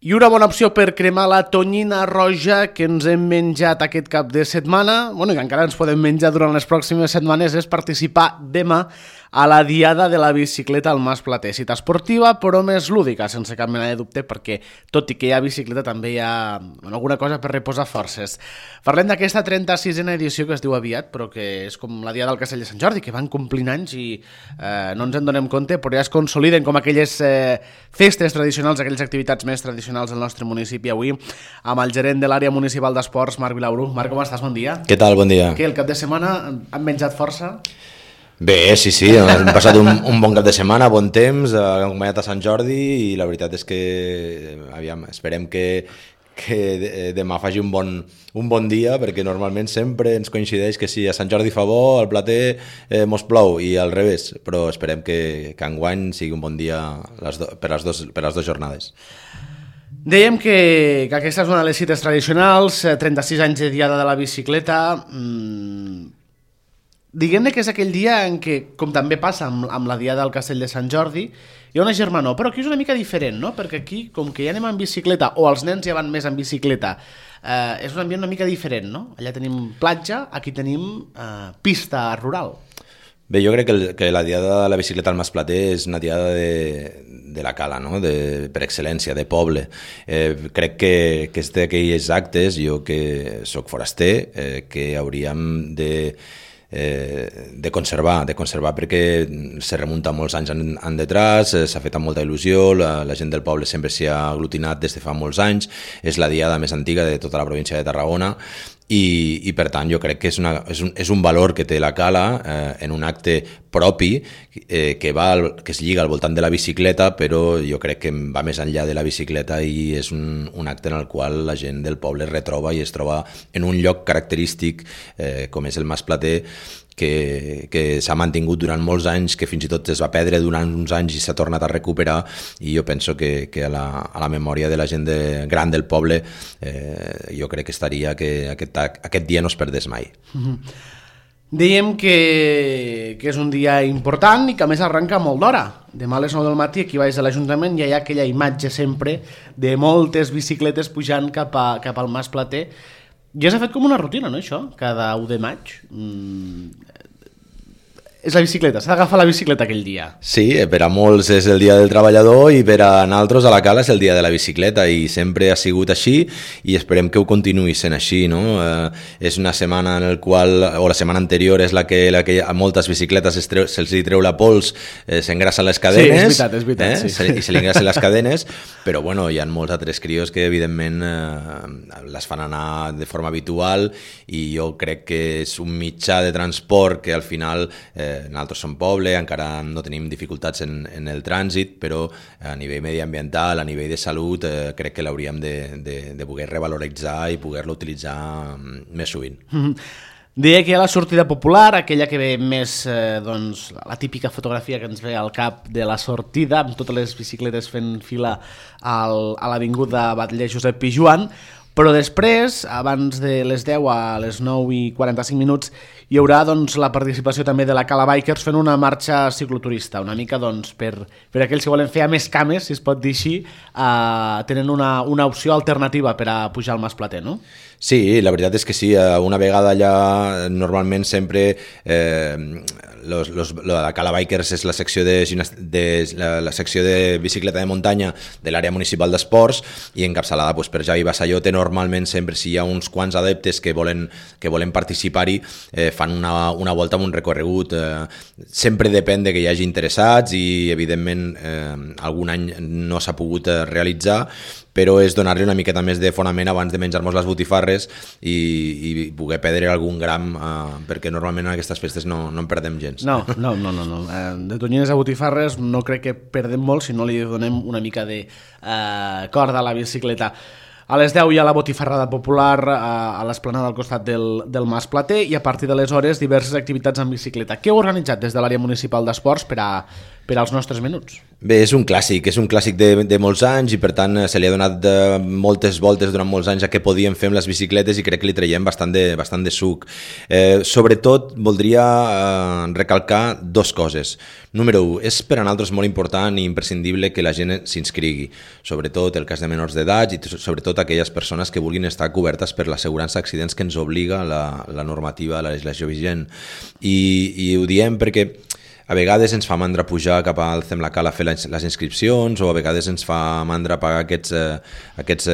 I una bona opció per cremar la tonyina roja que ens hem menjat aquest cap de setmana, i que encara ens podem menjar durant les pròximes setmanes, és participar demà a la Diada de la Bicicleta al Mas Plater. Cita esportiva, però més lúdica, sense cap mena de dubte, perquè tot i que hi ha bicicleta també hi ha alguna cosa per reposar forces. Parlem d'aquesta 36a edició que es diu aviat, però que és com la Diada del Castell de Sant Jordi, que van complint anys i no ens en donem compte, però ja es consoliden com aquelles festes tradicionals, aquelles activitats més tradicionals del nostre municipi. Avui amb el gerent de l'àrea municipal d'esports, Marc Vilaurú. Marc, com estàs? Bon dia. Què tal? Bon dia. Què, el cap de setmana han menjat força? Bé, sí, hem passat un bon cap de setmana, bon temps, hem acompanyat a Sant Jordi i la veritat és que esperem que demà faci un bon dia, perquè normalment sempre ens coincideix que si a Sant Jordi fa bo, al Plater mos plou i al revés, però esperem que enguany sigui un bon dia per les dues jornades. Dèiem que aquesta és una de les cites tradicionals, 36 anys de Diada de la Bicicleta. Diguem-ne que és aquell dia en què, com també passa amb la Diada del Castell de Sant Jordi, hi ha una germanor, però aquí és una mica diferent, no? Perquè aquí, com que ja anem en bicicleta, o els nens ja van més en bicicleta, és un ambient una mica diferent, no? Allà tenim platja, aquí tenim pista rural. Bé, jo crec que la Diada de la Bicicleta al Mas Plater és una diada de la cala, no? Per excel·lència, de poble. Crec que és d'aquells actes, jo que soc foraster, que hauríem de conservar perquè se remunta molts anys en detrás, s'ha fet amb molta il·lusió, la gent del poble sempre s'hi ha aglutinat des de fa molts anys, és la diada més antiga de tota la província de Tarragona i per tant jo crec que és un valor que té la cala en un acte propi que es lliga al voltant de la bicicleta, però jo crec que va més enllà de la bicicleta i és un acte en el qual la gent del poble es retroba i es troba en un lloc característic com és el Mas Plater, que s'ha mantingut durant molts anys, que fins i tot es va perdre durant uns anys i s'ha tornat a recuperar, i jo penso que a la memòria de la gent gran del poble jo crec que estaria que aquest dia no es perdés mai. Dèiem que és un dia important i que a més arrenca molt d'hora. Demà a les 9 del matí aquí baix de l'Ajuntament ja hi ha aquella imatge sempre de moltes bicicletes pujant cap al Mas Plater. Ja s'ha fet com una rutina, no, això? Cada 1 de maig. És la bicicleta, s'ha d'agafar la bicicleta aquell dia. Sí, per a molts és el dia del treballador i per a nosaltres a la cala és el dia de la bicicleta i sempre ha sigut així i esperem que ho continuï sent així, no? És una setmana en el qual, o la setmana anterior és la que a moltes bicicletes se'ls treu la pols, s'engrassen les cadenes. Sí, és veritat, sí. I se li engrassen les cadenes, però bueno, hi ha molts altres crios que evidentment les fan anar de forma habitual i jo crec que és un mitjà de transport que al final nosaltres som poble, encara no tenim dificultats en el trànsit, però a nivell mediambiental, a nivell de salut, crec que l'hauríem de poder revaloritzar i poder-lo utilitzar més sovint. Deia que hi ha la sortida popular, aquella que ve més, la típica fotografia que ens ve al cap de la sortida, amb totes les bicicletes fent fila a l'avinguda Batlle Josep Pijoan, però després, abans de les 10 a les 9:45, hi haurà la participació també de la Cala Bikers fent una marxa cicloturista, una mica per aquells que volen fer a més cames, si es pot dir així, tenen una opció alternativa per a pujar al Mas Plater, no? Sí, la veritat és que sí, una vegada allà normalment sempre la Cala Bikers és la secció la secció de bicicleta de muntanya de l'àrea municipal d'esports i encapçalada per Javi Bassallote. Normalment sempre si hi ha uns quants adeptes que volen participar-hi fan una volta amb un recorregut, sempre depèn de que hi hagi interessats i evidentment algun any no s'ha pogut realitzar, però és donar-li una miqueta més de fonament abans de menjar-nos les botifarres i poder perdre algun gram, perquè normalment en aquestes festes no en perdem gens. No. De tonyines a botifarres no crec que perdem molt si no li donem una mica de corda a la bicicleta. A les 10 hi ha la botifarrada popular a l'esplanada al costat del Mas Plater i a partir de les hores diverses activitats en bicicleta. Què heu organitzat des de l'àrea municipal d'esports per als nostres menuts? Bé, és un clàssic de molts anys i per tant se li ha donat moltes voltes durant molts anys a què podíem fer amb les bicicletes i crec que li traiem bastant de suc. Sobretot voldria recalcar dues coses. Número 1, és per a nosaltres molt important i imprescindible que la gent s'inscrigui, sobretot el cas de menors d'edat i sobretot aquelles persones que vulguin estar cobertes per l'assegurança d'accidents que ens obliga la normativa, la legislació vigent. I ho diem perquè a vegades ens fa mandra pujar cap al Cemlacal a fer les inscripcions o a vegades ens fa mandra pagar aquests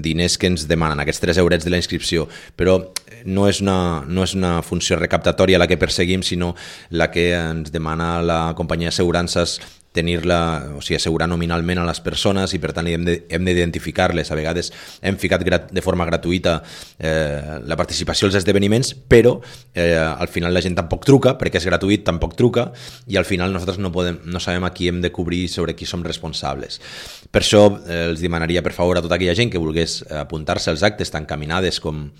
diners que ens demanen, aquests 3 eurets de la inscripció, però no és una funció recaptatòria la que perseguim, sinó la que ens demana la companyia d'assegurances tenir-la, o sigui, assegurar nominalment a les persones i per tant hem d'identificar-les. A vegades hem ficat de forma gratuïta la participació als esdeveniments, però al final la gent tampoc truca, perquè és gratuït, tampoc truca, i al final nosaltres no sabem a qui hem de cobrir, sobre qui som responsables. Per això els demanaria per favor a tota aquella gent que volgués apuntar-se als actes tan caminades com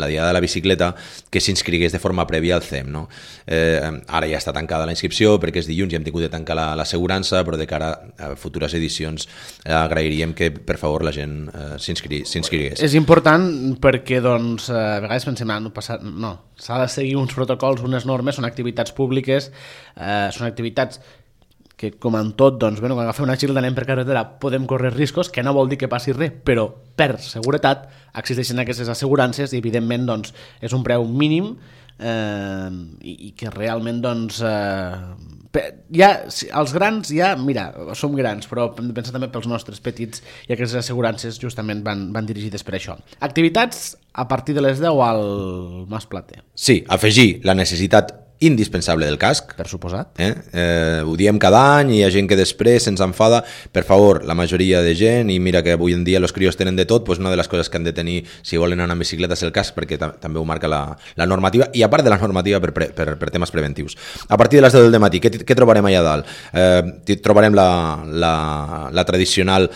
la Diada de la Bicicleta, que s'inscrigués de forma prèvia al CEM. No? Ara ja està tancada la inscripció perquè és dilluns i hem tingut de tancar l'assegurança, però de cara a futures edicions agrairíem que per favor la gent s'inscrigués. És important perquè doncs, a vegades pensem no, s'ha de seguir uns protocols, unes normes, són activitats públiques, són activitats que com en tot, doncs, quan agafem una bicicleta anem per carretera podem córrer riscos, que no vol dir que passi res, però per seguretat existeixen aquestes assegurances i evidentment doncs, és un preu mínim i que realment doncs, els grans mira, som grans, però hem de pensar també pels nostres petits i aquestes assegurances justament van dirigides per això. Activitats a partir de les 10 al Mas Plater. Sí, afegir la necessitat indispensable del casc. Per suposat. Ho diem cada any i hi ha gent que després se'ns enfada. Per favor, la majoria de gent, i mira que avui en dia els crios tenen de tot, doncs una de les coses que han de tenir si volen anar en bicicleta és el casc, perquè també ho marca la normativa, i a part de la normativa per temes preventius. A partir de les 10 del matí, què trobarem allà dalt? Trobarem la tradicional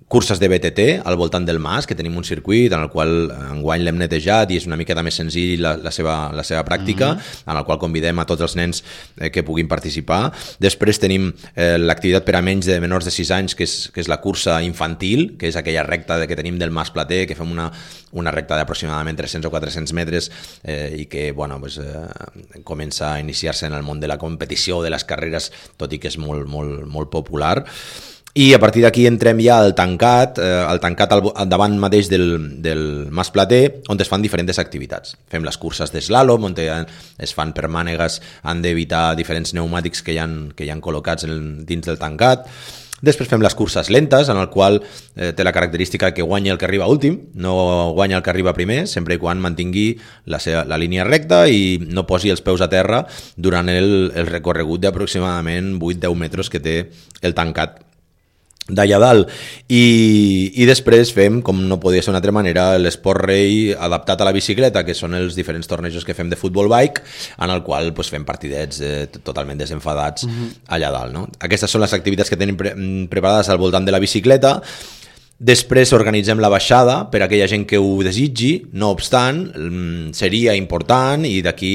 curses de BTT al voltant del Mas, que tenim un circuit en el qual enguany l'hem netejat i és una miqueta més senzill la seva pràctica, en el qual convidem a tots els nens que puguin participar. Després tenim l'activitat per a menors de 6 anys, que és la cursa infantil, que és aquella recta que tenim del Mas Plater, que fem una recta d'aproximadament 300 o 400 metres i que comença a iniciar-se en el món de la competició, de les carreres, tot i que és molt, molt, molt popular. I a partir d'aquí entrem ja al tancat al davant mateix del Mas Plater, on es fan diferents activitats. Fem les curses d'eslàlom, on es fan per mànegues, han d'evitar diferents pneumàtics que hi han col·locats dins del tancat. Després fem les curses lentes, en el qual té la característica que guanya el que arriba últim, no guanya el que arriba primer, sempre i quan mantingui la línia recta i no posi els peus a terra durant el recorregut d'aproximadament 8-10 metres que té el tancat d'allà dalt. I després fem, com no podia ser d'una altra manera, l'esport rei adaptat a la bicicleta, que són els diferents tornejos que fem de futbol bike, en el qual fem partidets totalment desenfadats allà dalt. No? Aquestes són les activitats que tenim preparades al voltant de la bicicleta. Després organitzem la baixada per a aquella gent que ho desitgi, no obstant, seria important i d'aquí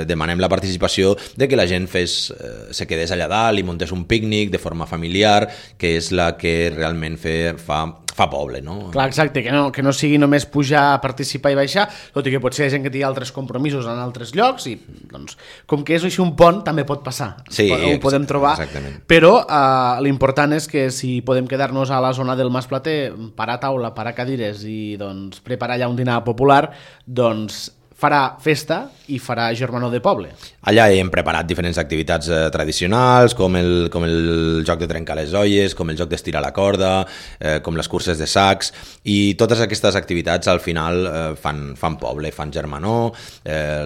demanem la participació de que la gent se quedés allà dalt i muntés un pícnic de forma familiar, que és la que realment fa poble, no? Clar, exacte, que no sigui només pujar, participar i baixar, tot i que potser hi ha gent que té altres compromisos en altres llocs i doncs, com que és així un pont també pot passar, sí, ho podem trobar, exactament. Però l'important és que si podem quedar-nos a la zona del Mas Plater, parar taula, parar cadires i doncs, preparar allà un dinar popular, doncs farà festa i farà germanor de poble. Allà hem preparat diferents activitats tradicionals, com el joc de trencar les olles, com el joc d'estirar la corda, com les curses de sacs, i totes aquestes activitats al final fan poble, fan germanor,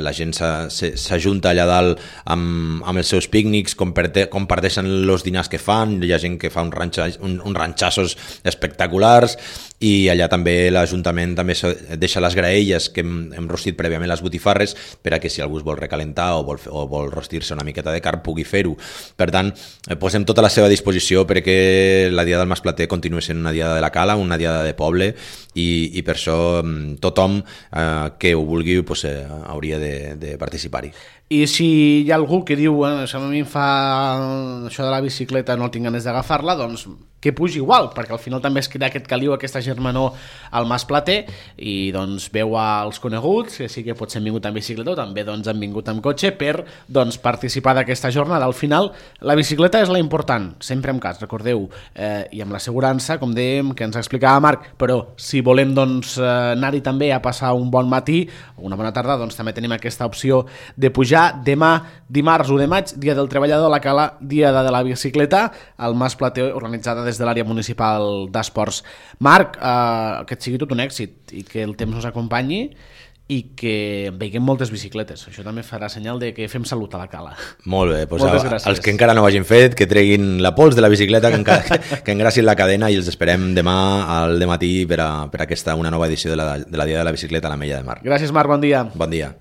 la gent s'ajunta allà dalt amb els seus pícnics, comparteixen els dinars que fan, hi ha gent que fa uns ranxassos espectaculars, i allà també l'Ajuntament també deixa les graelles que hem rostit prèviament les botifarres per a que si algú es vol recalentar o vol rostir-se una miqueta de carn pugui fer-ho. Per tant, posem tota la seva disposició perquè la Diada del Masplater continuï sent una Diada de la Cala, una Diada de poble, i per això tothom que ho vulgui pues, hauria de participar-hi. I si hi ha algú que diu això a mi em fa això de la bicicleta, no tinc ganes d'agafar-la, doncs que pugi igual, perquè al final també es crea aquest caliu, aquesta germanor al Masplater, i doncs veu als coneguts, que sí que potser han vingut en bicicleta o també doncs, han vingut amb cotxe per doncs, participar d'aquesta jornada. Al final la bicicleta és la important, sempre en cas, recordeu, i amb l'assegurança, com dèiem, que ens explicava Marc, però si volem doncs, anar-hi també a passar un bon matí o una bona tarda, doncs també tenim aquesta opció de pujar demà, dimarts 1 de maig, Dia del Treballador a la Cala, Diada de la Bicicleta, al Masplater, organitzada des de l'àrea municipal d'esports. Marc, que et sigui tot un èxit i que el temps nos acompanyi i que veiem moltes bicicletes. Això també farà senyal de que fem salut a la Cala. Molt bé, doncs els que encara no ho hagin fet, que treguin la pols de la bicicleta, que engracin la cadena, i els esperem demà al dematí per a aquesta una nova edició de la Diada de la Bicicleta a l'Ametlla de Mar. Gràcies, Marc, bon dia. Bon dia.